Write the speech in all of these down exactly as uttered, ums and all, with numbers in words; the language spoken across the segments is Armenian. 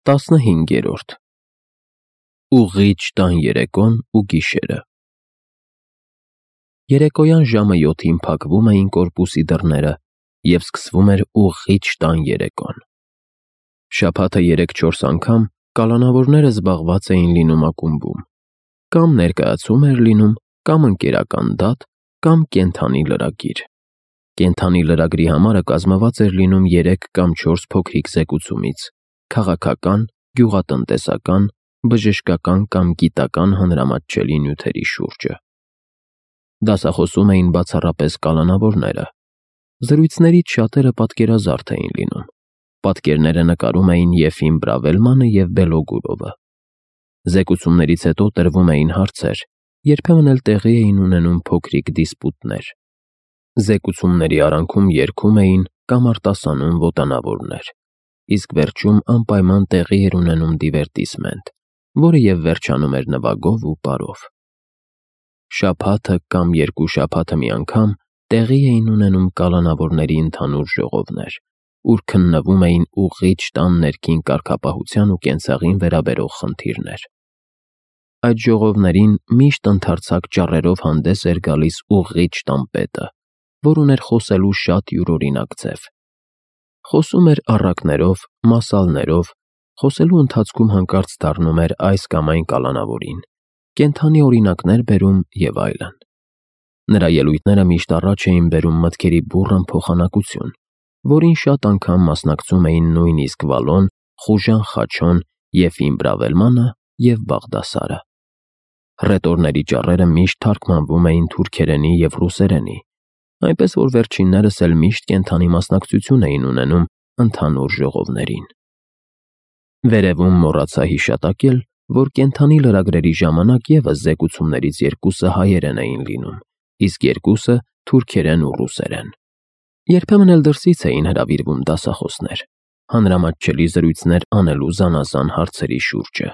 Տասնհինգերորդ Ուղղիչ տան երեկոն ու գիշերը Երեկոյան ժամը յոթին փակվում էին կորպուսի դռները և սկսվում էր ուղղիչ տան երեկոն։ Շաբաթը երեք-չորս անգամ կալանավորները զբաղված էին լինում ակումբում, կամ ներկայացում էր լինում, կամ ընկերական դատ, կամ կենդանի լրագիր։ Կենդանի լրագրի համարը կազմված էր լինում երեք կամ չորս փոքրիկ զեկուցումից՝ քաղաքական, գյուղատնտեսական, բժշկական կամ գիտական հանրամատչելի նյութերի շուրջը։ Դասախոսում էին բացառապես կալանավորները։ Զրույցներից շատերը պատկերազարդ էին լինում։ Պատկերները նկարում էին Եֆիմ Բրավելմանը և Բելոգուրովը։ Զեկուցումներից հետո տրվում էին հարցեր, երբեմն էլ տեղի էին ունենում փոքրիկ դիսպուտներ։ Զեկուցումների արանքում երգում էին կամ արտասանում ոտանավորներ, իսկ վերջում անպայման տեղի էր ունենում դիվերտիսմենտ, որը և վերջանում էր նվագով ու պարով։ Շաբաթը կամ երկու շաբաթը մի անգամ տեղի էին ունենում կալանավորների ընդհանուր ժողովներ, ուր քննվում էին ուղղիչ տան ներքին կարգապահության ու կենցաղին վերաբերող խնդիրներ։ Այդ ժողովներին միշտ ընդարձակ ճառերով հանդես էր գալիս ուղղիչ տան պետը, որ ուներ խոսելու շատ յուրօրինակ ձև։ Խոսում էր առակներով, մասալներով, խոսելու ընթացքում հանկարծ դառնում էր այս կամ այն կալանավորին, կենդանի օրինակներ բերում և այլն։ Նրա ելույթները միշտ առաջ էին բերում մտքերի բուռն փոխանակություն, որին շատ անգամ մասնակցում էին նույնիսկ Վալոն, Խուժան Խաչոն, Եֆիմ Բրավելմանը և Բաղդասարը։ Հռետորների ճառերը միշտ թարգմանվում էին թուրքերենի և ռուսերենի, այնպես որ վերջիններս էլ միշտ կենդանի մասնակցություն էին ունենում ընդհանուր ժողովներին։ Վերևում մոռացա հիշատակել, որ կենդանի լրագրերի ժամանակ ևս զեկուցումներից երկուսը հայերեն էին լինում, իսկ երկուսը թուրքերեն ու ռուսերեն։ Երբեմն էլ դրսից էին հրավիրվում դասախոսներ, հանրամատչելի զրույցներ անելու զանազան հարցերի շուրջը։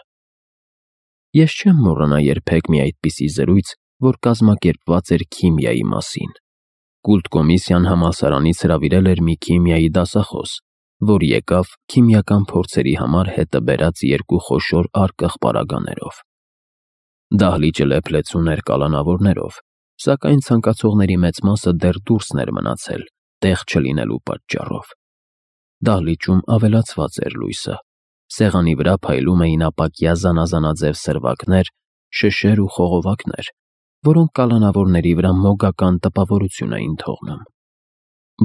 Ես չեմ մոռանա երբեք մի այդպիսի զրույց, որ կազմակերպված էր քիմիայի մասին։ Կուլտ-կոմիսիան համալսարանից հրավիրել էր մի քիմիայի դասախոս, որ եկավ քիմիական փորձերի համար հետը բերած երկու խոշոր առկախ պարագաներով։ Դահլիճը լեփ-լեցուն էր կալանավորներով, սակայն ցանկացողների մեծ մասը դեռ դուրսն էր մնացել, տեղ չլինելու պատճառով։ Դահլիճում ավելացված էր լույսը, սեղանի վրա փայլում էին ապակյա զանազանաձև սրվակներ, շշեր ու խողովակներ, որոնք կալանավորների վրա մոգական տպավորություն էին թողնում։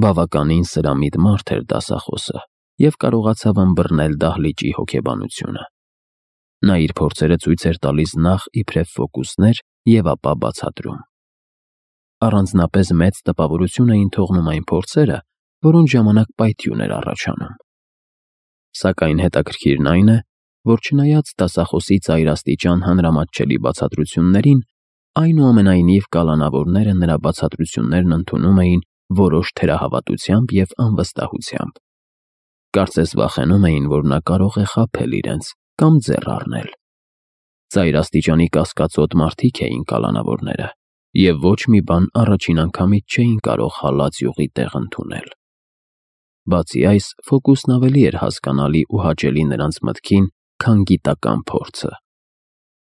Բավականին սրամիտ մարդ էր դասախոսը և կարողացավ ըմբռնել դահլիճի հոգեբանությունը։ Նա իր փորձերը ցույց էր տալիս նախ իբրև ֆոկուսներ և ապա բացատրում։ Առանձնապես մեծ տպավորություն էին թողնում այն փորձերը, որոնց ժամանակ պայթյուն էր առաջանում։ Սակայն հետաքրքիրն այն է, որ չնայած դասախոսի ծայրաստիճան հանրամատչելի բացատրություններին, այնուամենայնիվ կալանավորները նրա բացատրություններն ընդունում էին որոշ թերահավատությամբ և անվստահությամբ։ Կարծես վախենում էին, որ նա կարող է խաբել իրենց կամ ձեռ առնել։ Ծայրաստիճանի կասկածոտ մարդիկ էին կալանավորները, և ոչ մի բան առաջին անգամից չէին կարող հալած յուղի տեղ ընդունել։ Բացի այս, ֆոկուսն ավելի էր հասկանալի ու հաճելի նրանց մտքին, քան գիտական փորձը։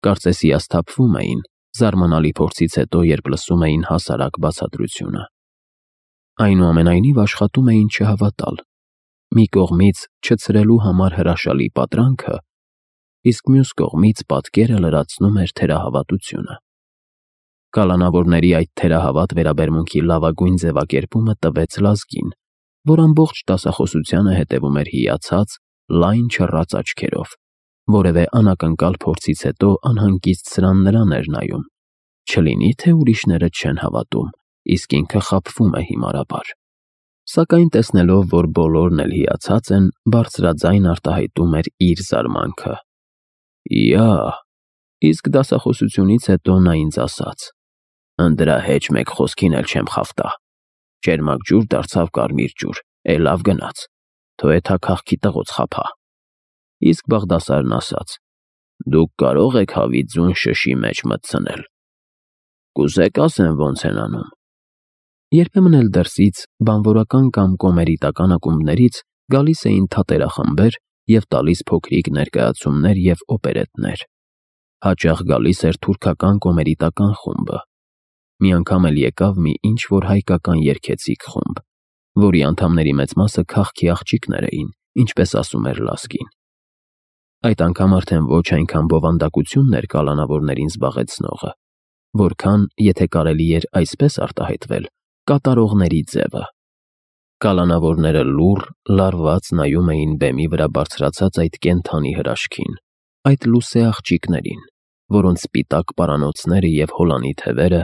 Կարծես հիասթափվում էին զարմանալի փորձից հետո, երբ լսում էին հասարակ բացատրությունը։ Այնուամենայնիվ աշխատում էին չհավատալ, մի կողմից չցրելու համար հրաշալի պատրանքը, իսկ մյուս կողմից պատկերը լրացնում էր թերահավատությունը։ Կալանավորների այդ թերահավատ վերաբերմունքի լավագույն ձևակերպումը տվեց Լազգին, որ ամբողջ դասախոսությանը հետևում էր հիացած, լայն չռած աչքերով, որևէ անակնկալ փորձից հետո անհանգիստ սրան֊նրան էր նայում, չլինի թե ուրիշները չեն հավատում, իսկ ինքը խաբվում է հիմարաբար։ Սակայն տեսնելով, որ բոլորն էլ հիացած են, բարձրաձայն արտահայտում էր իր զարմանքը։ Իա՜, իսկ դասախոսությունից հետո նա ինձ ասաց. «Ընդրա հեչ մեկ խոսքին էլ չեմ խավտա։ Ճերմակ ջուր դարձավ կարմիր ջուր, է լավ գնաց, թո էթա քաղքի տղոց խաբա»։ Իսկ Բաղդասարն ասաց. «Դուք կարող եք հավի ձուն շշի մեջ մտցնել։ Կուզե՞ք ասեմ ոնց են անում»։ Երբեմն էլ դրսից, բանվորական կամ կոմերիտական ակումբներից գալիս էին թատերախմբեր, և տալիս փոքրիկ ներկայացումներ և օպերետներ։ Հաճախ գալիս էր թուրքական կոմերիտական խումբը։ Մի անգամ էլ եկավ մի ինչ-որ հայկական երգեցիկ խումբ, որի անդամների մեծ մասը քաղքի աղջիկներ էին, ինչպես ասում էր Լազգին։ Այդ անգամ արդեն ոչ այնքան բովանդակությունն էր կալանավորներին զբաղեցնողը, որքան, եթե կարելի էր այսպես արտահայտվել, կատարողների ձևը։ Կալանավորները լուռ, լարված նայում էին բեմի վրա բարձրացած այդ կենդանի հրաշքին, այդ լուսե աղջիկներին, որոնց սպիտակ պարանոցները և հոլանի թևերը,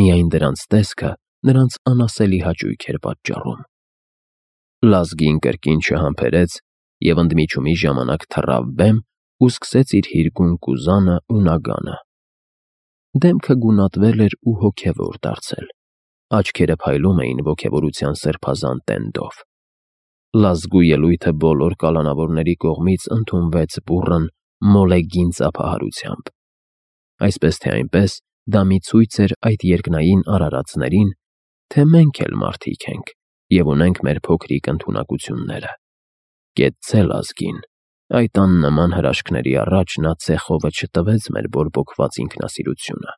միայն դրանց տեսքը նրանց անասելի հաճույք էր պատճառում։ Լազգին կրկին չհամբերեց և ընդմիջումի ժամանակ թռավ բեմ ու սկսեց իր հիրգուն կուզանը ու նագանը։ Դեմքը գունատվել էր ու հոգևոր դարձել, աչքերը փայլում էին ոգևորության սրբազան տենդով։ Լազգու ելույթը բոլոր կալանավորների կողմից ընդունվեց բուռն, մոլեգին ծափահարությամբ։ Այսպես թե այնպես, դա մի ցույց էր այդ երկնային արարածներին, թե մենք էլ մարդիկ ենք և ունենք մեր փոքրիկ ընդունակությունները։ Կեցցե Լազգին, այդ աննման հրաշքների առաջ նա ցեխովը չտվեց մեր բորբոքված ինքնասիրությունը։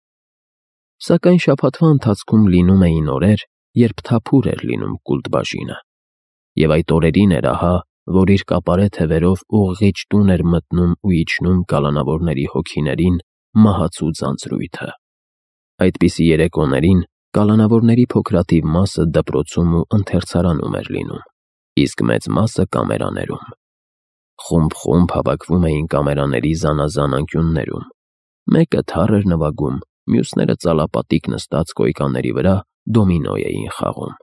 Սակայն շաբաթվա ընթացքում լինում էին օրեր, երբ թափուր էր լինում Կուլտբաժինը, և այդ օրերին էր ահա, որ իր կապարե թևերով ուղղիչ տուն էր մտնում ու իջնում կալանավորների հոգիներին մահացու ձանձրույթը։ Այդպիսի երեկոներին կալանավորների փոքրաթիվ մասը դպրոցում ու ընթերցարանում էր լինում, իսկ մեծ մասը կամերաներում։ Խումբ-խումբ հավաքվում էին կամերաների զանազան անկյուններում։ Մեկը թառ էր նվագում, մյուսները ծալապատիկ նստած կոյկաների վրա դոմինո էին խաղում։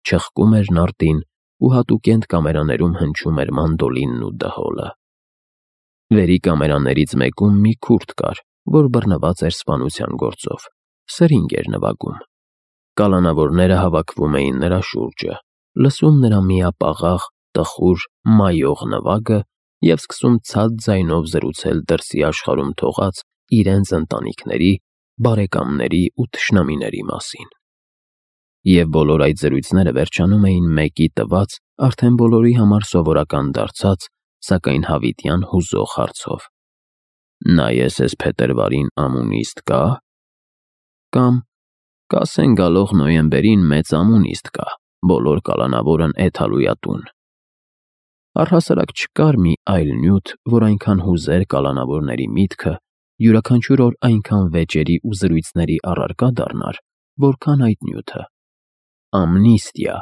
Չխկում էր նարդին ու հատուկենտ կամերաներում հնչում էր մանդոլինն ու դհոլը։ Վերի կամերաներից մեկում մի քուրդ կար, որ բռնված էր սպանության գործով, սրինգ էր նվագում։ Կալանավորները հավաքվում էին նրա շուրջը, լսում նրա միապաղաղ, տխուր, մայող նվագը և սկսում ցած ձայնով զրուցել դրսի աշխարհում թողած իրենց ընտանիքների, բարեկամների ու թշնամիների մասին։ Եվ բոլոր այդ զրույցները վերջանում էին մեկի տված, արդեն բոլորի համար սովորական դարձած, սակայն հավիտյան հուզող հարցով. «Նայես էս փետրվարին ամունիստ կա՞»։ Կամ «Կասեն գալող նոյեմբերին մեծ ամունիստ կա, բոլոր կալանավորն էթալույատուն»։ Առհասարակ չկար մի այլ նյութ, որ այնքան հուզեր կալանավորների միտքը, յուրաքանչյուր օր այնքան վեճերի ու զրույցների առարկա դառնար, որքան այդ նյութը՝ ամնիստիա,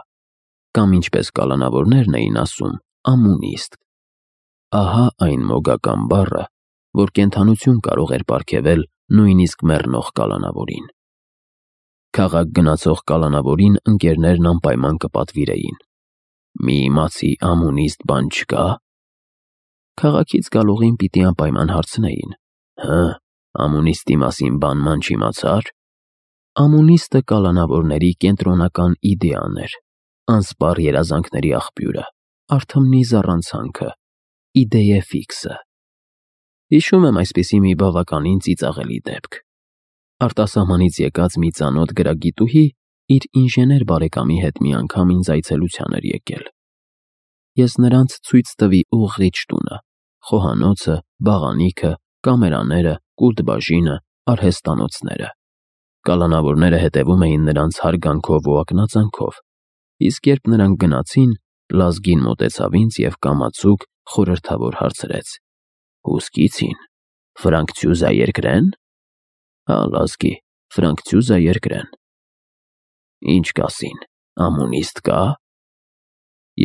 կամ ինչպես կալանավորներն էին ասում, ամունիստ։ Ահա այն մոգական բառը, որ կենդանություն կարող էր պարգևել նույնիսկ մեռնող կալանավորին։ Քաղաք գնացող կալանավորին ընկերներն անպայման կպատվիրեին. «Մի իմացի ամունիստ բան չկա՞»։ Քաղաքից գալուղին պիտի անպայման հարցնեին. «Հը, ամունիստի մասին բան-ման չիմացա՞ր»։ Ամունիստը կալանավորների կենտրոնական իդեան էր, անսպառ երազանքների աղբյուրը, արթմնի զառանցանքը, իդեե ֆիքսը։ Հիշում եմ այսպիսի մի բավականին ծիծաղելի դեպք։ Արտասահմանից եկած մի ծանոթ գրագիտուհի իր ինժեներ բարեկամի հետ մի անգամ ինձ այցելության էր եկել։ Ես նրանց ցույց տվի ուղղիչ տունը, խոհանոցը, բաղանիքը, կամերաները, կուլտբաժինը, արհեստանոցները։ Կալանավորները հետևում էին նրանց հարգանքով ու ակնածանքով, իսկ երբ նրանք գնացին, Լազգին մոտեցավ ինձ և կամացուկ, խորհրդավոր հարցրեց. «Հուսկիցին, Ֆրանկցյուզա երկրեն»։ Հա, Լազգի, Ֆրանկցյուզա երկրեն։ Ինչ կասին, ամունիստ կա՞։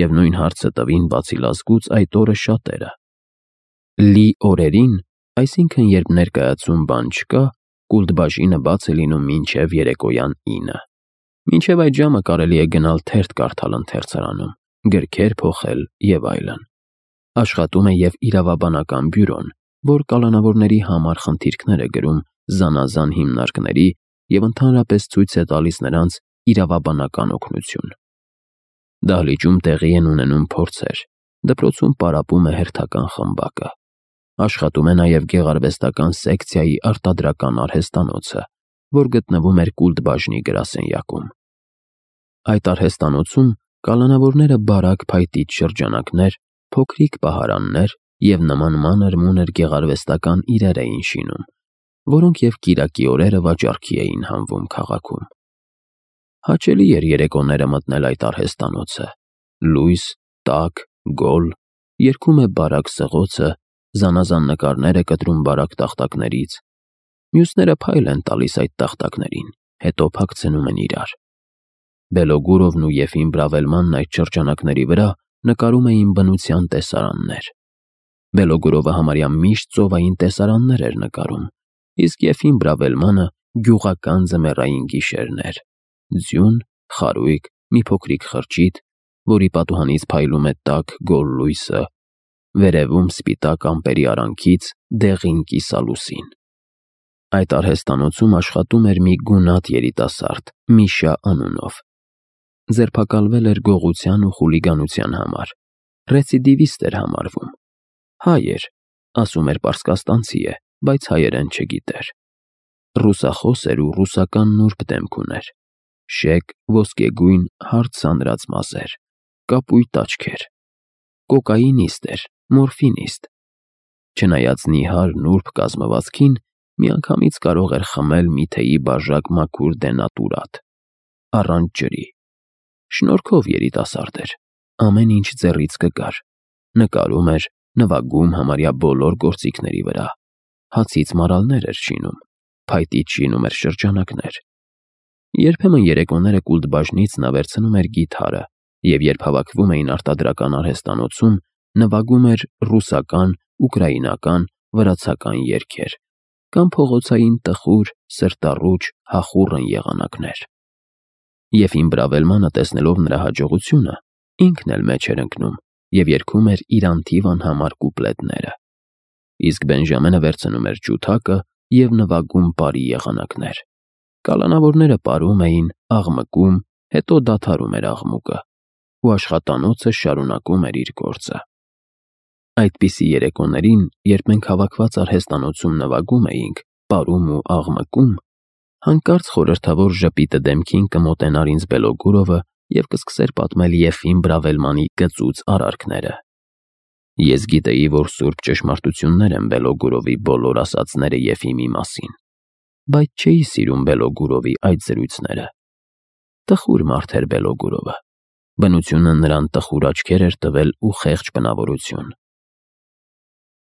Եվ նույն հարցը տվին բացի Լազգուց այդ օրը շատերը։ Լի օրերին, այսինքն երբ ներկայացում բան չկա, Կուլտբաժինը բաց է լինում մինչև երեկոյան ինը։ Մինչև այդ ժամը կարելի է գնալ թերթ կարդալ ընթերցարանում, գրքեր փոխել և այլն։ Աշխատում է և իրավաբանական բյուրոն, որ կալանավորների համար խնդիրքներ է գրում զանազան հիմնարկների և ընդհանրապես ցույց է տալիս նրանց իրավաբանական օգնություն։ Դահլիճում տեղի են ունենում փորձեր, դպրոցում պարապում է հերթական խմբակը։ Աշխատում է նաև գեղարվեստական սեկցիայի արտադրական արհեստանոցը, որ գտնվում էր Կուլտբաժնի գրասենյակում։ Այդ արհեստանոցում կալանավորները բարակ փայտիչ շրջանակներ, փոքրիկ պահարաններ և նման մանր-մունր գեղարվեստական իրեր էին շինում, որոնք և կիրակի օրերը վաճառքի էին հանվում քաղաքում։ Հաճելի էր երեկոները մտնել այդ արհեստանոցը, լույս, տաք, գոլ, երգում է բարակ սղոցը, զանազան նկարներ է կտրում բարակ տախտակներից, մյուսները փայլ են տալիս այդ տախտակներին, հետո փակցնում են իրար։ Բելոգուրովն ու Եֆիմ Բրավելմանն այդ շրջանակների վրա նկարում էին բնության տեսարաններ։ Բելոգուրովը համարյա միշտ ծովային տեսարաններ էր նկարում, իսկ Եֆիմ Բրավելմանը գյուղական ձմեռային գիշերներ, ձյուն, խարույկ, մի փոքրիկ խրճիթ, որի պատուհանից փայլում է տաք գոլ լույսը, վերևում սպիտակ ամպերի արանքից դեղին կիսալուսին։ Այդ արհեստանոցում աշխատում էր մի գունատ երիտասարդ Միշա անունով։ Ձերբակալվել էր գողության ու խուլիգանության համար, ռեցիդիվիստ էր համարվում։ Հայ էր, ասում էր պարսկաստանցի է, բայց հայերեն չգիտեր։ Ռուսախոս էր ու ռուսական նուրբ դեմք ուներ, շեկ, ոսկեգույն, հարթ սանրած մազեր, կապույտ աչքեր, կոկաինիստ էր, մորֆինիստ։ Չնայած նիհար նուրբ կազմվածքին, միանգամից կարող էր խմել մի թեյի բաժակ մաքուր դենատուրատ, առանց ջրի։ Շնորհքով երիտասարդ էր, ամեն ինչ ձեռից կգար, նկարում էր, նվագում համարյա բոլոր գործիքների վրա, հացից մարալներ էր շինում, փայտից շինում էր շրջանակներ։ Երբեմն երեկոները կուլտբաժնից նա վերցնում էր կիթառը և երբ հավաքվում էին արտադրական արհեստանոցում, նվագում էր ռուսական, ուկրաինական, վրացական երգեր կամ փողոցային տխուր, սրտառուչ, հախուռն եղանակներ։ Եֆիմ Բրավելմանը, տեսնելով նրա հաջողությունը, ինքն էլ մեջ էր ընկնում և երգում էր իր անթիվ անհամար կուպլետները, իսկ Բենժամենը վերցնում էր ջութակը և նվագում բարի եղանակներ։ Կալանավորները պարում էին, աղմկում, հետո դադարում էր աղմուկը, ու աշխատանոցը շարունակում էր իր գործը։ Այդպիսի երեկոներին, երբ մենք հավաքված արհեստանոցում նվագում էինք, պարում ու աղմկում, հանկարծ խորհրդավոր ժպիտը դեմքին կմոտենար ինձ Բելոգուրովը և կսկսեր պատմել Եֆիմ Բրավելմանի գծուծ արարքները։ Ես գիտեի, որ սուրբ ճշմարտություններ են Բելոգուրովի բոլոր ասածները Եֆիմի մասին, բայց չէի սիրում Բելոգուրովի այդ զրույցները։ Տխուր մարդ էր Բելոգուրովը, բնությունը նրան տխուր աչքեր էր տվել ու խեղճ բնավորություն։